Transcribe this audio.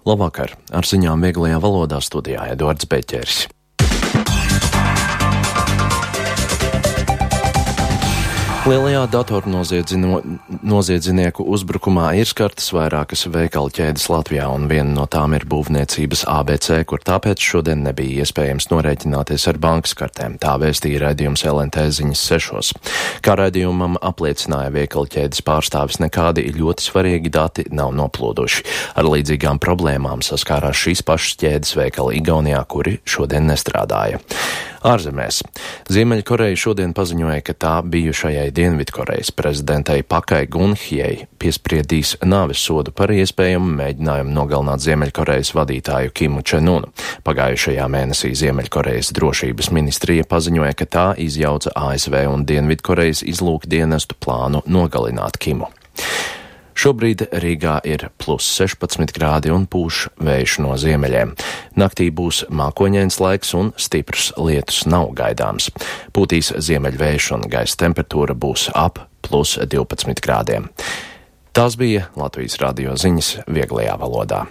Labvakar! Ar ziņām vieglajā valodā studijā Eduards Beķeris. Lielajā datornoziedznieku uzbrukumā ir skartas vairākas veikalu ķēdes Latvijā, un viena no tām ir būvniecības ABC, kur tāpēc šodien nebija iespējams norēķināties ar bankas kartēm. Tā vēstīja raidījums LNT ziņas 6. Kā raidījumam apliecināja veikalu ķēdes pārstāvis, nekādi ļoti svarīgi dati nav noplūduši. Ar līdzīgām problēmām saskārās šīs pašas ķēdes veikali Igaunijā, kuri šodien nestrādāja. Ārzemēs. Ziemeļkoreja šodien paziņoja, ka tā bijušajai Dienvidkorejas prezidentei Pakai Gun-hjei piespriedīs nāves sodu par iespējamu mēģinājumu nogalināt Ziemeļkorejas vadītāju Kimu Čen-unu. Pagājušajā mēnesī Ziemeļkorejas drošības ministrija paziņoja, ka tā izjauca ASV un Dienvidkorejas izlūkdienestu plānu nogalināt Kimu. Šobrīd Rīgā ir +16 grādi un pūš vējš no ziemeļiem. Naktī būs mākoņains laiks un stiprs lietus nav gaidāms. Pūtīs ziemeļvējš un gaisa temperatūra būs ap +12 grādiem. Tās bija Latvijas radio ziņas vieglajā valodā.